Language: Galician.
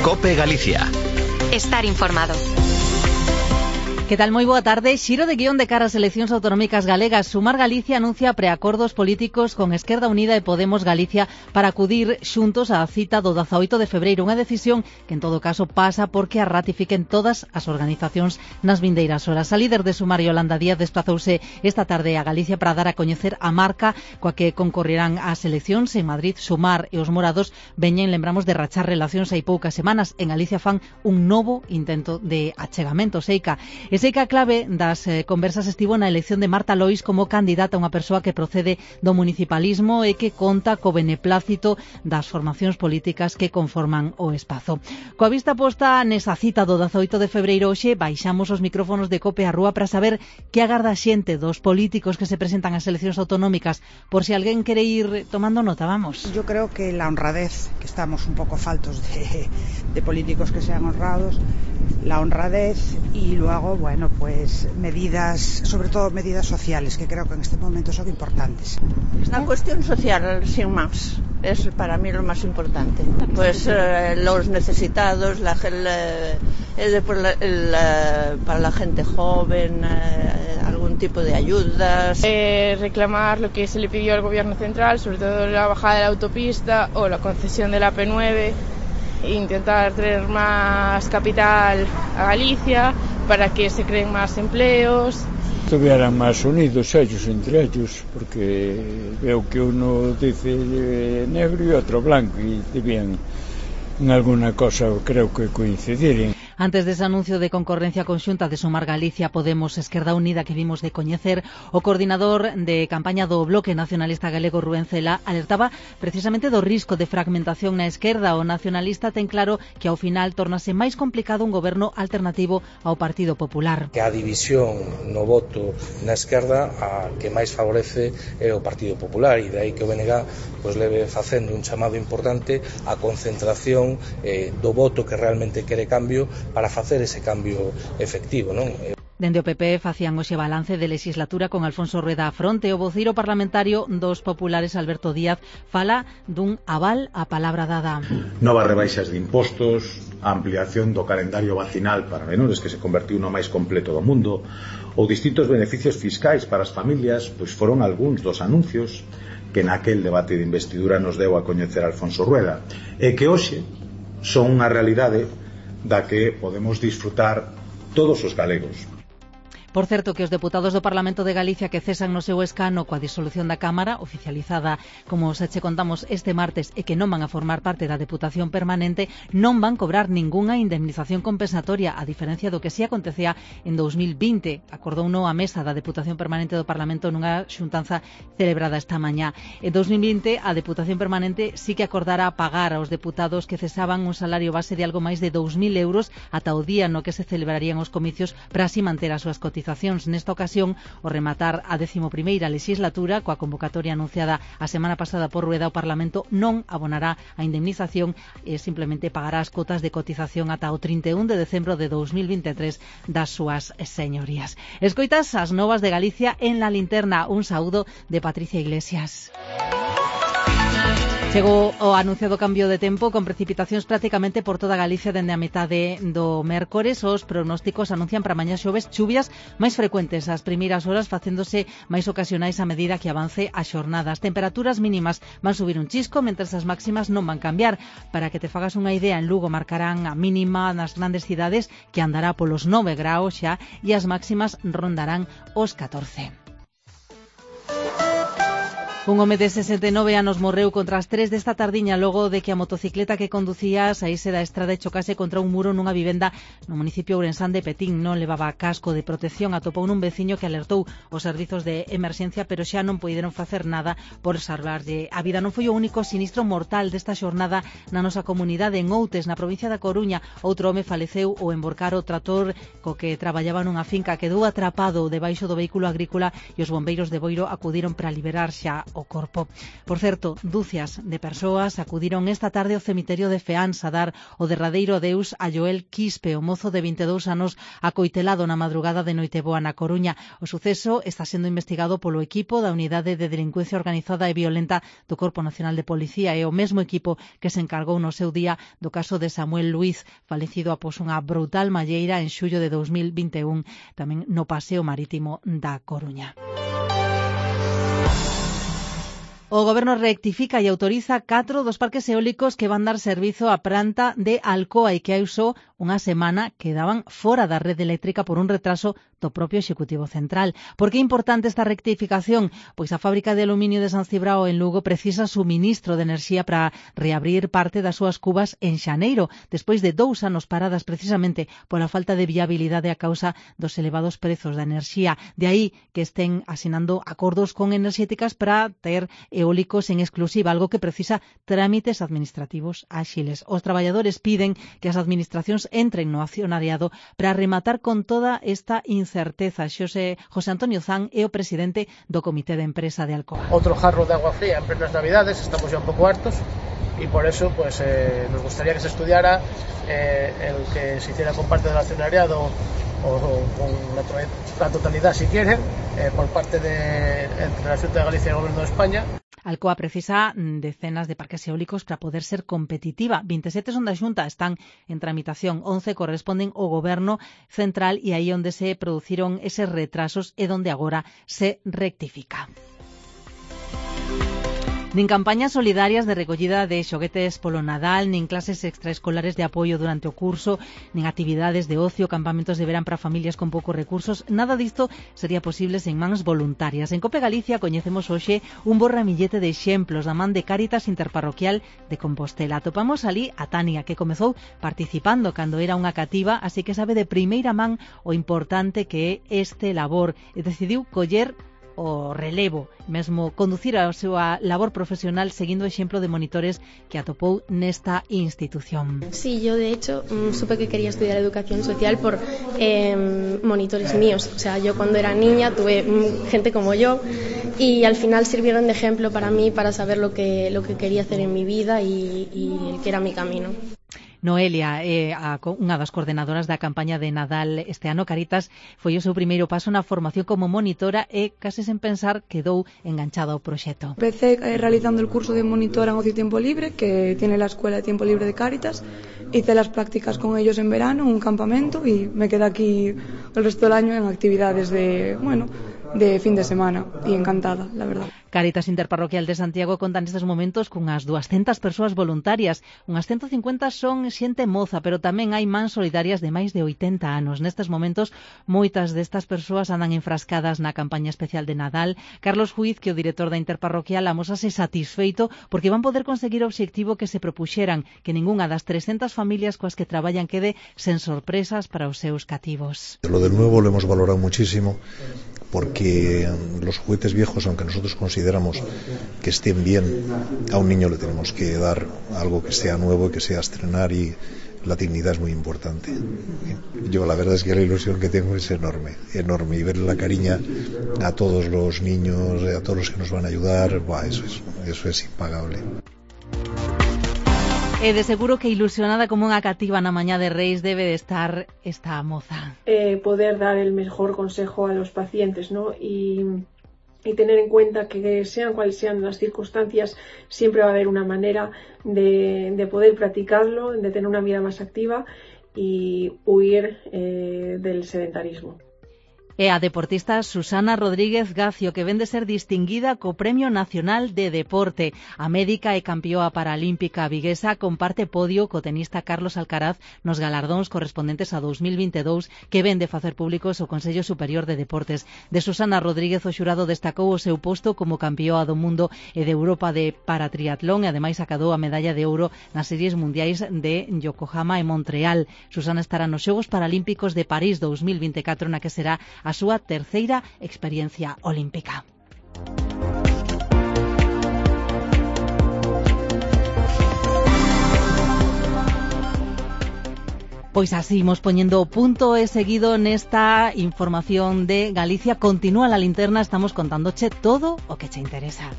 COPE Galicia. Estar informado. Que tal? Moi boa tarde. Xiro de guión de cara ás eleccións autonómicas galegas. Sumar Galicia anuncia preacordos políticos con Esquerda Unida e Podemos Galicia para acudir xuntos á cita do 18 de febreiro. Unha decisión que en todo caso pasa porque a ratifiquen todas as organizacións nas vindeiras horas. A líder de Sumar, Yolanda Díaz, desplazouse esta tarde a Galicia para dar a coñecer a marca coa que concorrerán ás eleccións en Madrid. Sumar e os morados veñen, lembramos, de rachar relacións hai poucas semanas. En Galicia fan un novo intento de achegamento. Seica. E sei que a clave das conversas estivo na elección de Marta Lois como candidata, unha persoa que procede do municipalismo e que conta co beneplácito das formacións políticas que conforman o espazo. Coa vista posta nesa cita do 18 de febreiro, hoxe baixamos os micrófonos de Cope á rúa para saber que agarda a xente dos políticos que se presentan ás eleccións autonómicas. Por si alguén quere ir tomando nota, vamos. Yo creo que la honradez, que estamos un poco faltos de políticos que sean honrados, la honradez y luego, bueno, pues medidas, sobre todo medidas sociales, que creo que en este momento son importantes. La cuestión social, sin más, es para mí lo más importante. Pues los necesitados, para la gente joven, algún tipo de ayudas. Reclamar lo que se le pidió al gobierno central, sobre todo la bajada de la autopista o la concesión de la P9. Intentar traer más capital a Galicia para que se creen más empleos. Estuvieran más unidos ellos entre ellos, porque veo que uno dice negro y otro blanco y debían en alguna cosa, creo que coincidiren. Antes dese anuncio de concorrencia conxunta de Sumar Galicia, Podemos, Esquerda Unida que vimos de coñecer, o coordinador de campaña do Bloque Nacionalista Galego, Rubén Cela, alertaba precisamente do risco de fragmentación na esquerda. O nacionalista ten claro que ao final tornase máis complicado un goberno alternativo ao Partido Popular. Que a división no voto na esquerda a que máis favorece é o Partido Popular, e de aí que o BNG pois leve facendo un chamado importante á concentración do voto que realmente quere cambio, para facer ese cambio efectivo, non? Dende o PP facían hoxe balance de legislatura con Alfonso Rueda á fronte. O voceiro parlamentario dos populares, Alberto Díaz, fala dun aval á palabra dada. Novas rebaixas de impostos, a ampliación do calendario vacinal para menores, que se convertiu no máis completo do mundo, ou distintos beneficios fiscais para as familias, pois foron algúns dos anuncios que naquel debate de investidura nos deu a coñecer Alfonso Rueda, e que hoxe son unha realidade da que podemos disfrutar todos os galegos. Por certo, que os deputados do Parlamento de Galicia que cesan no seu escano coa disolución da Cámara, oficializada, como xa che contamos, este martes, e que non van a formar parte da Deputación Permanente, non van cobrar ningunha indemnización compensatoria, a diferencia do que si acontecía en 2020. Acordouno a mesa da Deputación Permanente do Parlamento nunha xuntanza celebrada esta mañá. En 2020, a Deputación Permanente sí que acordara pagar aos deputados que cesaban un salario base de algo máis de 2.000 euros ata o día no que se celebrarían os comicios para así manter as súas cotizacións. Nesta ocasión, ao rematar a 11ª legislatura, coa convocatoria anunciada a semana pasada por Rueda, o Parlamento non abonará a indemnización e simplemente pagará as cotas de cotización ata o 31 de decembro de 2023 das súas señorías. Escoitas as novas de Galicia en La Linterna. Un saúdo de Patricia Iglesias. Chegou o anunciado cambio de tempo con precipitacións prácticamente por toda Galicia dende a metade do mércores. Os pronósticos anuncian para mañá xoves chuvias máis frecuentes ás primeiras horas, facéndose máis ocasionais a medida que avance a xornada. As temperaturas mínimas van subir un chisco, mentres as máximas non van cambiar. Para que te fagas unha idea, en Lugo marcarán a mínima nas grandes cidades que andará polos 9 graus xa, e as máximas rondarán os 14. Un home de 69 anos morreu contra as 3 desta tardiña logo de que a motocicleta que conducía saíse da estrada e chocase contra un muro nunha vivenda no municipio ourensán de Petín. Non levaba casco de protección, atopou nun veciño que alertou os servizos de emerxencia, pero xa non puideron facer nada por salvarlle a vida. Non foi o único sinistro mortal desta xornada na nosa comunidade. En Outes, na provincia da Coruña, outro home faleceu ao emborcar o trator co que traballaba nunha finca. Quedou atrapado debaixo do vehículo agrícola e os bombeiros de Boiro acudiron para liberar xa o corpo. Por certo, dúcias de persoas acudiron esta tarde ao cemiterio de Feáns a dar o derradeiro adeus a Joel Quispe, o mozo de 22 anos acoitelado na madrugada de Noiteboa na Coruña. O suceso está sendo investigado polo equipo da Unidade de Delincuencia Organizada e Violenta do Corpo Nacional de Policía e o mesmo equipo que se encargou no seu día do caso de Samuel Luiz, falecido após unha brutal malleira en xullo de 2021, tamén no paseo marítimo da Coruña. O Goberno rectifica e autoriza 4 dos parques eólicos que van dar servizo á planta de Alcoa e que hai só unha semana quedaban fora da rede eléctrica por un retraso do propio Executivo Central. Por que é importante esta rectificación? Pois a fábrica de aluminio de San Cibrao en Lugo precisa suministro de enerxía para reabrir parte das súas cubas en xaneiro, despois de 2 anos paradas precisamente pola falta de viabilidade a causa dos elevados prezos da enerxía. De aí que estén asinando acordos con enerxéticas para ter eólicos en exclusiva, algo que precisa trámites administrativos áxiles. Os traballadores piden que as administracións entren no accionariado para rematar con toda esta incerteza. José Antonio Zan é o presidente do Comité de Empresa de Alcoa. Outro jarro de agua fría en plenas Navidades, estamos ya un pouco hartos y por eso pues nos gustaría que se estudiara el que se hiciera con parte del accionariado o con la totalidad si quieren por parte de entre la Xunta de Galicia y el Gobierno de España. Alcoa precisa decenas de parques eólicos para poder ser competitiva. 27 son da Xunta, están en tramitación. 11 corresponden ao Goberno Central e aí onde se produciron eses retrasos e donde agora se rectifica. Nin campañas solidarias de recollida de xoguetes polo Nadal, nin clases extraescolares de apoio durante o curso, nin actividades de ocio, campamentos de verán para familias con poucos recursos, nada disto sería posible sen mans voluntarias. En Cope Galicia coñecemos hoxe un bo ramillete de exemplos da man de Cáritas Interparroquial de Compostela. Atopamos ali a Tania, que comezou participando cando era unha cativa, así que sabe de primeira man o importante que é este labor e decidiu coller o relevo, mesmo conducir a súa labor profesional seguindo o exemplo de monitores que atopou nesta institución. Sí, yo de hecho supe que quería estudiar educación social por monitores míos. O sea, yo cuando era niña tuve gente como yo y al final sirvieron de ejemplo para mí para saber lo que quería hacer en mi vida y el que era mi camino. Noelia é unha das coordenadoras da campaña de Nadal este ano. Caritas foi o seu primeiro paso na formación como monitora e, case sen pensar, quedou enganchada ao proxecto. Empecé realizando el curso de monitora en Ocio y Tiempo Libre, que tiene la Escuela de Tiempo Libre de Cáritas. Hice las prácticas con ellos en verano, un campamento, y me quedé aquí el resto del año en actividades de fin de semana, y encantada, la verdad. Cáritas Interparroquial de Santiago conta nestes momentos cunhas 200 persoas voluntarias. Unhas 150 son xente moza, pero tamén hai mans solidarias de máis de 80 anos. Nestes momentos, moitas destas persoas andan enfrascadas na campaña especial de Nadal. Carlos Juiz, que é o director da Interparroquial, amosase satisfeito porque van poder conseguir o obxectivo que se propuxeran, que ningunha das 300 familias coas que traballan quede sen sorpresas para os seus cativos. Lo del nuevo lo hemos valorado muchísimo, porque los juguetes viejos, aunque nosotros consideramos que estén bien, a un niño le tenemos que dar algo que sea nuevo, que sea estrenar, y la dignidad es muy importante. Yo la verdad es que la ilusión que tengo es enorme, y ver la cariña a todos los niños, a todos los que nos van a ayudar, eso es impagable. E de seguro que ilusionada como unha cativa na mañá de Reis debe de estar esta moza. Poder dar el mejor consejo a los pacientes, ¿no? Y tener en cuenta que sean cuales sean las circunstancias, siempre va a haber una manera de poder practicarlo, de tener una vida más activa y huir del sedentarismo. E a deportista Susana Rodríguez Gacio, que ven de ser distinguida co Premio Nacional de Deporte. A médica e campioa paralímpica viguesa comparte podio co tenista Carlos Alcaraz nos galardóns correspondentes a 2022 que ven de facer públicos o Consello Superior de Deportes. De Susana Rodríguez, o xurado destacou o seu posto como campioa do mundo e de Europa de paratriatlón e ademais acadou a medalla de ouro nas series mundiais de Yokohama e Montreal. Susana estará nos Xogos Paralímpicos de París 2024, na que será a súa terceira experiencia olímpica. Pois así, imos poñendo o punto e seguido nesta información de Galicia. Continúa la linterna, estamos contándoche todo o que che interesa.